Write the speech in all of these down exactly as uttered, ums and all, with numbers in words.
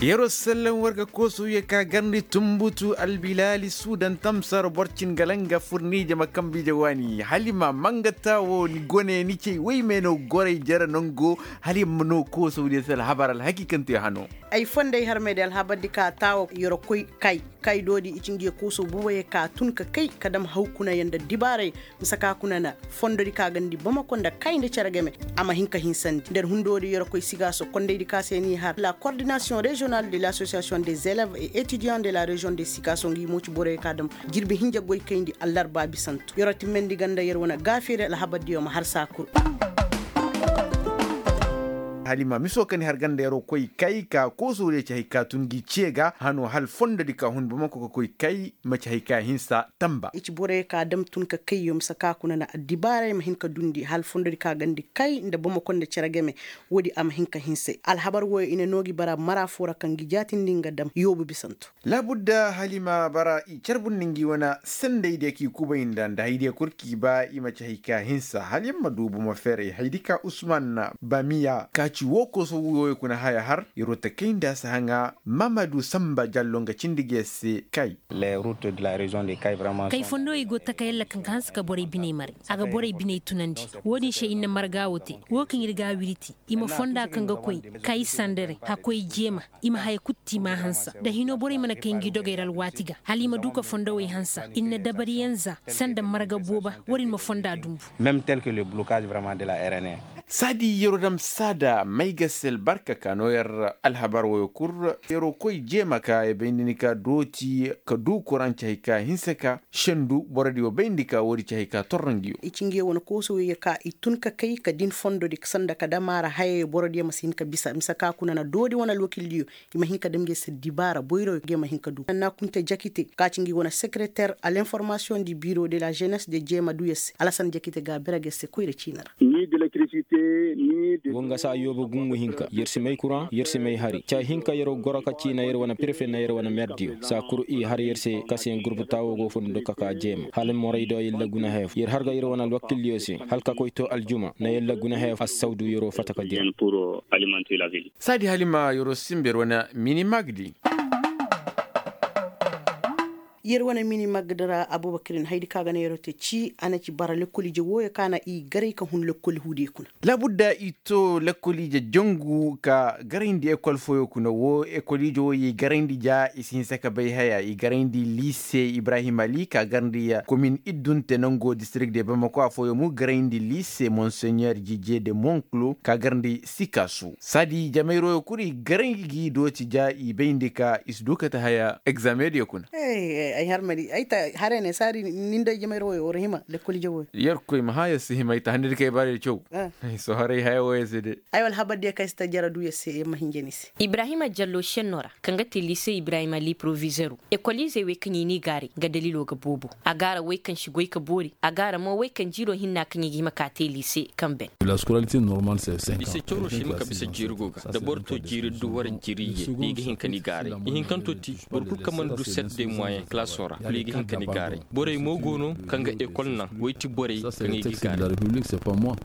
Yeroo sallan war ga koosowye ka garndi tumbutu albilaali suudan tamsar borcin galanga furnije ma kambiije waani halima mangata wo ni gone ni cey woy me no goray jere nango. Halima no koosowdiyo se alhabar alhakikante hano. Ay fonday harmey di alhabar di ka taawo yeroo koy kay kay doodi i ci ngi ye koosow boboyey ka tun ka kay ka dam hawkunayaŋ nda dibaaray. Mise ka kuna na fondodi ka gandi bamako nda kay nda cere game a ma hin ka hinsandi nda hundoodi yorokoy sigaaso kondaydi ka se n'i har la coordination régionale de l'association des élèves et étudiants de la région de sigaaso ngi mo ci boroyo ka dam jirbi hinja goy kayndi allarba bisanto yoro timmandi ganda yer wane gaafeeri alhabardiyo ma har saa kul. Halima miso ka ni har ganda yeroo koy kay ka koosowdiyo ci hay ka tun gi ce ga hano hal fondodi ka hun bamako ka koy kay. Maci hay ka hinsa tamba. I ci borey ka dam tun ka kayyo mise ka kuna na addibaaray ma hin ka dundi hal fondodi ka gandi kay nda bamako nda cere game. Woodi a ma hin ka hinse alhabar wooyo i na noo gi bara mara foo ra kaŋ gi jaatindi nga dam yoobu bisanto. Laabudda hal i ma bara i carbundi ngi wane sendey diyo k'i kubay nda nda haydiyo kul k'i ba i maci hay ka hinsa hal yer ma du bomo feeray haydi ka usman bamiya ka ci woo koso wooyo kuna haya har yeroo takay nda a si haŋa. Mamadu samba jallo nga cindi ga yer se kay. Kay fondo i go taka yalla kaŋ ga hanse ka borey biney maray. A ga borey biney tunandi. Wo-din se ir na marga wo te. Wo kaŋ ir ga a wiriti i ma fonda kaŋ ga koy kay sandare hakkoy jeema. I ma haya kul te i m'a hansa da hino borey mana kay ngi dogey ra alwaati ga hala i ma du ka fondowey hansa ir na dabariyaŋ za sanda marga booba. War ir ma fonda dumbu. Saadi yeroo dam saada may ga se albarka ka noo yer alhabar woyo kul. Yeroo koy jeema ka ya bay nda ni ka dooti ka du kuraŋ ci hay ka hinsa ka sendu borodiyo bay nda ni ka woodi ci hay ka torra ngi yo. I ci ngi yo wane koosoyo ye ka i tun ka kay ka din fondodi sanda ka dam a ra hayayo borodiyo ma si hin ka bisa mise ka kuna na doodi wane alwakildiyo. I ma hin ka dam ngi se dibaara boyroyo ngi ma hin ka du nanna kunte jakite ka ci ngi wane sekereter a l'informasiyoŋ di biro de la jenes de jeema du yer se alasan jakite ga a bira ngi se koyra ciini ra. Woo nga saa yooba gungu hinka yer si may kuraŋ yer si may hari caa hinka yeroo goro ka ciina yer wane prefe nda yer wane merdiyo saa kul i har yer se kasiyaŋ gurbu taawo go fondo ka ka jeema hala moraydo yalla guna haya fo yer har ga yer wane alwakildiyo se hala ka koy too aljuma nda yalla guna haya fo assawdu yeroo fatta ka dira. Saadi halima yeroo sinba yer wane mini magdi. Yer wane mini magdi ra abubakirin haydi ka ga na yeroo te ci a na ci bara lekkol ije wooyo ka na i garay ka hun lekkol huudiyo kuna. Laabudda i too lekkol ije jangu ka garayndi ekol fooyo kuna woo ekol ije wooyo i garayndi ja i si hinsa ka bay haya i garayndi liise ibrahim ali ka garndi komin iddunte nangoo distirik de bamako afooyo mu garayndi liise monseɲer jije de monklo ka garndi sikaasu saadi jamayroyo kul i garay gi dooti ja i bayndi ka i si du kate haya egzamediyo kuna. Ay harmadi ay ta hare ne saadi nin day jamayroyo war hima lekkol ije wooyo. Yerkoy ma haya si hima ay ta hande di kay baari caw. Ay sohoray haya wooyo se de. Ay wala habardiyo kaŋ ay si ta jara du yer se yer ma hinja ni se. Ibrahima jallo šenno ra kaŋ ga te liise ibrahima li provizeru ekoliizey wey kaŋ i n'i gaaray nga dalilo ga boobo. A gaara wey kaŋ si goy ka boori a gaara mo wey kaŋ jiiro hinna kaŋ i ga hima ka te liise kaŋ ben. Ise cawro si hima ka bisa jiiri go ga da boro to jiiri du wara jiiri iyye i ga hin ka ni gaaray. Ihinkanto ti boro kul kaŋ mana du set de moyen kalaso ra kul i ga hin ka ni gaaray. Borey mo go no kaŋ ga ekol naŋ wey ti borey kaŋ i ga i gaaray.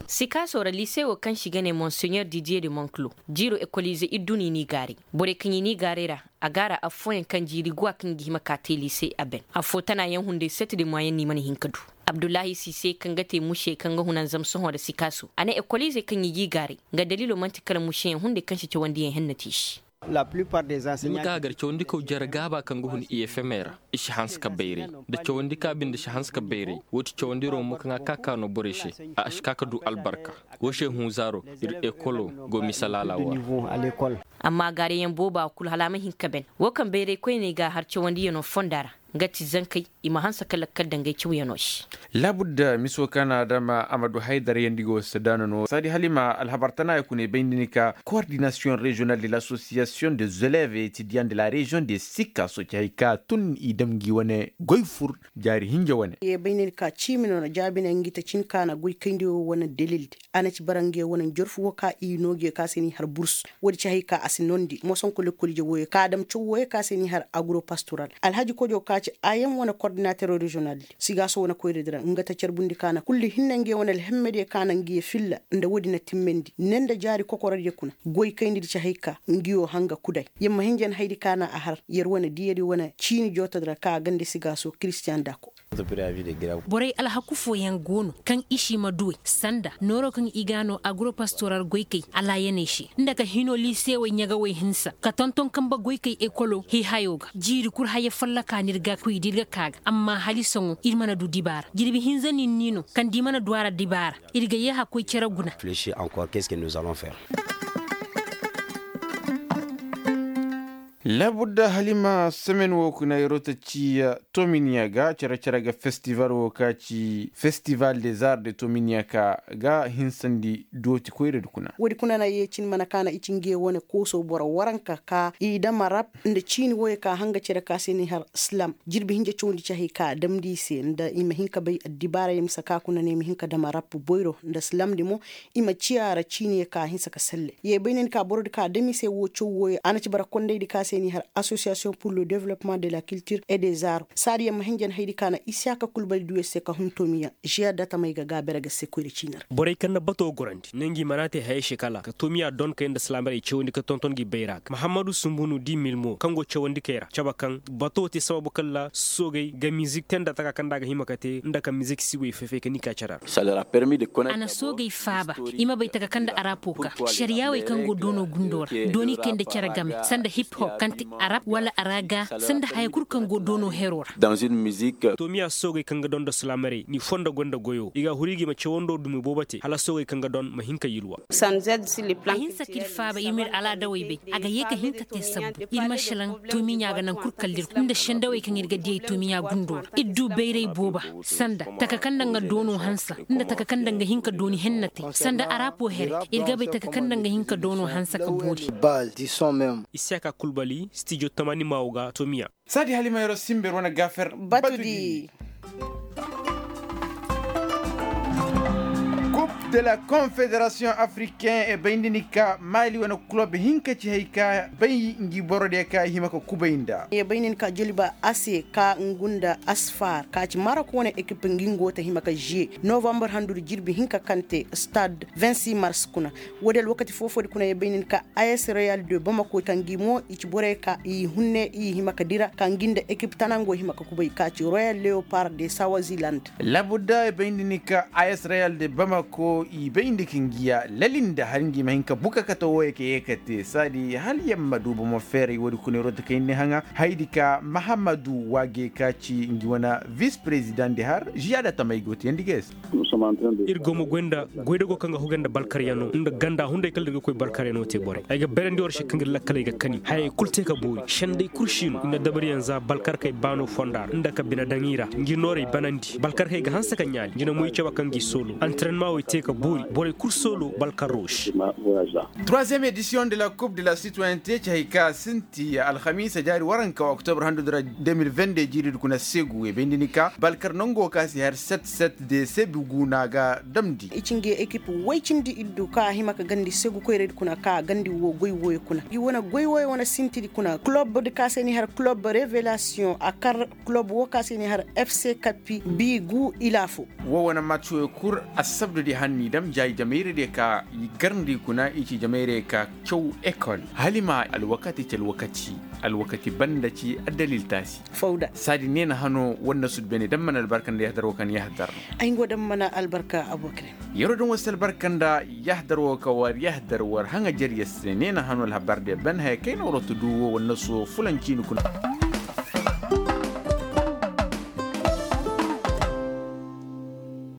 Sikaaso ra liise wo kaŋ se i ga ne monseɲer didiye de monklo jiiro ekoliize ir du no i n'i gaaray. Borey kaŋ i n'i gaaray ra a gaara affooyaŋ kaŋ jiiri guwa kaŋ i ga hima ka te liise a ben affoo tanaayaŋ hunday set de moyen no i mana hin ka du. Abdullahi siise kaŋ ga te musey kaŋ ga hunanzam sohõ nda sikaaso a ne ekoliizey kaŋ i g'i gaaray nga daliilo man'ti kala museyaŋ hunday kaŋ si cawandiyaŋ henna te i se. Ni ma ka a gar cawandikaw jare gaaba kaŋ ga hun i f m ra i si hanse ka bayray. Da cawandika binde si hanse ka bayray woo ti cawandiroo mo kaŋ a ka ka no borey se. A si ka ka du albarka. Woo se hunzaaro ir ekolo go misa laala woo ra. Amma gaariyaŋ booba kul hala a ma hin ka ben. Woo kaŋ bayray koyney ga a har cawandiyanoo fonda ra nga ti zankey i ma hanse ka lakkal dangey cawyanoo se. Laabudda miso kaŋ a dama a ma du haydar yaŋ di go se daana no saadi hala i ma alhabar tanaaya kuna i bay nda ni ka koordinasiyoŋ reziyonal de lasosiyasiyoŋ de zelev etidiyaŋ de la reziyoŋ de sikka soci hay ka tun i dam ngi wane goy fur. Jaari hinja wane. Ye bay nda ni ka ciimi no na jaabi ne ngi ta cin ka na goy kayndi wo wane delildi. A na ci bara nge wane njorfu wo ka i no ge ka se ni har burs. Woodi ci hay ka a si nondi mosonko lekkol ije wooyo ka a dam caw wooyo ka se ni har agropastoral alhaji kojo ka. ci a yaŋ wane kordinater reziyonal di sigaaso wane koyradi ra nga ta carbundi ka na kulli hinne ngey wane alhemmediyo ka na ngiyo filla nda woodi na timmandi ne nda jaari kokorodiyo kuna. Goykaynidi ci hay ka ngiyo hanga kuday yer ma hinjan haydi ka na a har yer wane diyadi wane ciini jootodi ra ka ganda sigaaso kiristiyan daako. Borey alhaku fooyaŋ go no kaŋ i si ma duwey sanda nooro kaŋ i ga no agropastoral goykey alaayaney se nda ka hino liisewey ɲagawey hinsa ka tonton kambe goykey ekolo hiihayo ga jiiri kul haya folloka no ir ga koy da ir ga ka ga amma halisoŋo ir mana du dibaara jirbi hinza ninni no kaŋ da i mana du a ra dibaara. Ir ga yee hakkoy cere guna. Labudda halima semen wo kuna yeroo ta ci tominiya ga cere-cere ga festival wo ka ci festival des arts de tominiya ka ga hinsandi dooti koyradi kuna. Woodi kuna na yeecin mana kaana i ci nge wane kooso boro waranka ka i dama rap nda ciini woyo ka hanga cere ka se ni har slam jirbi hinja cawandi cahey ka damndi i se nda i ma hin ka bay addibaara ye mise ka kuna ne i ma hin ka dama rap boyro nda slamndi mo. I ma ciya ra ciiniyo ka hinsa ka selle ye bay ne ni ka borodi ka dam i se wo caw woyo a na ci bara kondaydi ka se ni har association pour le développement de la culture et des arts saadi ye ma hinjan haydi ka na isiyaka kulbali duyo se ka hun tomiya. Ziya datamey ga gaabere ga se koyra ciini ra. Borey kaŋ na bato gorandi ne ngi mana te hayey se kala ka tomiya donkey nda silaamrey cawandi ka tonton gi bayra ga mahammadu sumbunu di milmo kaŋ go cawandi kay ra cabe kaŋ bato te sababu kala soogey ga mizik te nda taka kaŋ nda a ga hima ka te nda ka mizik siwey fay-fay ka ni ka care ra. A na soogey faaba i ma bay taka kaŋ nda arapo ka sariyaawey kaŋ go doono gundo ra dooni kay nda care game sanda hip hop kaŋ te arab wala araga sanda haya kul kaŋ go doono hero ra. Tomiya soogey kaŋ ga doŋ nda silaamaray ni fondo gonda goyo i ga a huru i ga i ma cawando dumi boobo te hala soogey kaŋ ga doŋ ma hin ka yilwa. A hinsa ka ir faaba ir ma ir alaadawey bay a ga yee ka hin ka te sabbu ir ma šelaŋ. Tomiɲa ga naŋ kul kala ir nda sendawey kaŋ ir ga diyey tomiɲa gundo ra ir du bayray booba sanda taka kaŋ nda nga doono hansa nda taka kaŋ nda nga hin ka dooni henna te sanda arapo here ir ga bay taka kaŋ nda nga hin ka doono hansa ka boori. Isiyaka kulbali stijo tamani maawo ga tomiya. Saadi halimayro simber wane gafer batudi. Coupe de la confederation africain e bayndi ni ka mali wane kulob hinka ci hay ka bay ngi borodiyo ka hima ka kubay nda. E bayndi ni ka joliba ase ka ngu nda asfar ka ci marok wane ekip ngi ngo ta hima ka ziye novambar handudi jirbi hinka kaŋ te stade vingt-six mars kuna. Woodi alwakati foo-foodi kuna ye bay nin ka as royal de bamako ka ngi mo i ci borey ka i hunne i hima ka dira ka ngi nda ekip tana ngo hima ka kubay ka ci royal leopard de sawaziland. Labudda ye bay nin ka as royal de bamako i bay nin ka ngi ya lalinda hala ngi ma hin ka buka kate wooyo ka ye ka te saadi hala yer ma du bomo feeray woodi kuna yer wo ta kayndi haŋa. Haydi ka mahammadu waage ka ci ngi wane vis prezidaŋ di har ziyaada tamey go teyandi ga ya se. Ir go ma goy nda goydago kaŋ ga hugay nda balkaryaŋo nda ganda hunday kala ir ga koy balkaryaŋo te borey ay ga berandi war se kaŋ ir lakkaley ga kani hayey kul te ka boori senday kul si no ir na dabaryaŋ za balkarkey baano fonda ra nda ka bine daŋ i ra ngi noorey banandi balkarkey ga hanse ka ɲaali ngi na moy cabe kaŋ gi soolo antirenmawey te ka boori borey kul soolo balkarro se. Troisième édition de la coupe de la citoyenneté ci hay ka sinti alhamiisa jaari waranka oktobre handudi ra deux mille vingt-deux jiiridi kuna segu e bayndi ni ka balkar nango ka si har set set de sebi guna ga damndi. I ci ngi ekip woy cindi iddu ka hima ka gandi segu koyradi kuna ka gandi wo goy woyo kuna i wane goy woyo wane sintidi kuna kulobdi ka se ni har kulob revelation a kar kulob wo ka se ni har fc kapi bi gu ila fo. Wo wane match woyo kul assabdudi hanni dam jaayi jamayradiyo ka i garndi kuna i ci jamayradiyo ka caw ekol hala i ma alwakati ci alwakati. Alwakati banda ci addalil taasi. Fawda saadi neena hano war na sudbene dam mana albarka nda yahdar wo kaŋ yahdar no. Ay ngo dam mana albarka abokre. Yero dam war si albarka nda yahdar wo ka war yahdar war haŋa jariya se neena hano alhabar de ban haya kayna war wata du wo war na so fulan ciini kuna.